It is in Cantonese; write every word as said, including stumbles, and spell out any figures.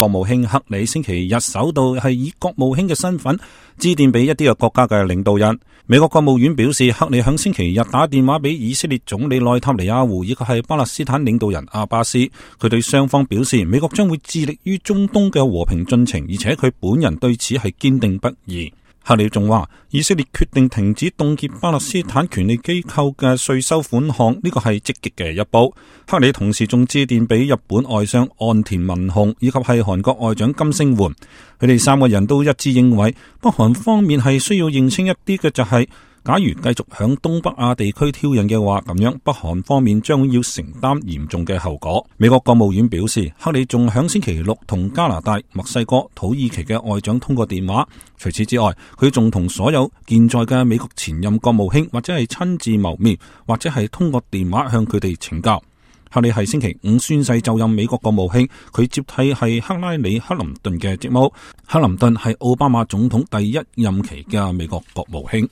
國務卿克里星期日首度係以國務卿嘅身份致電俾一啲嘅國家嘅領導人。美國國務院表示，克里響星期日打電話俾以色列總理內塔尼亞胡以及係巴勒斯坦領導人阿巴斯，佢對雙方表示，美國將會致力於中東嘅和平進程，而且佢本人對此係堅定不移。克里仲話，以色列決定停止凍結巴勒斯坦權利機構嘅稅收款項，呢個係積極嘅一步。克里同時仲致電俾日本外相岸田文雄以及係韓國外長金星媛，佢哋三個人都一致認為，北韓方面係需要認清一啲嘅就係、是，假如繼續響東北亞地區挑釁嘅話，咁樣北韓方面將要承擔嚴重嘅後果。美國國務院表示，克里仲響星期六同加拿大、墨西哥、土耳其嘅外長通過電話。除此之外，佢仲同所有健在嘅美國前任國務卿或者係親自謀面，或者係通過電話向佢哋請教。克里係星期五宣誓就任美國國務卿，佢接替係克拉里克林頓嘅職務。克林頓係奧巴馬總統第一任期嘅美國國務卿。